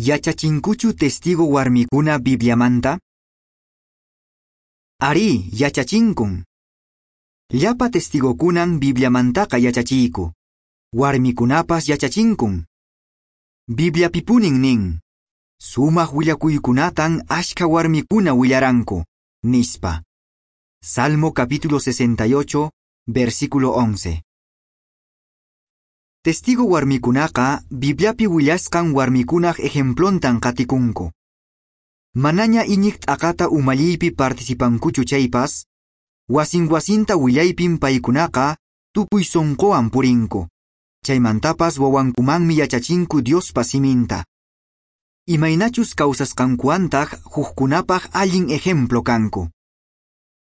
Yachachinkuchu testigo warmikuna Bibliamanta? Arí, yachachinkun. Llapa testigokunan Bibliamantaqa yachachiyku. Warmikunapas yachachinkun. Bibliapipunin nin. Sumaq willakuykunatan ashka warmikuna willaranku, nispa. Salmo capítulo 68, versículo 11. Testigo warmikunaqa Bibliapi willasqan warmikunaq ejemplontan qatikunku. Manaña iñiq t'aqata umalliypi participankuchu chaypas, wasin wasinta willaypin paykunaqa tukuy sunquwan purinku. Chaymantapas wawankumanmi yachachinku Diospa siminta. Imaynachus kawsasqankuwantaq hukkunapaq allin ejemplo kanku.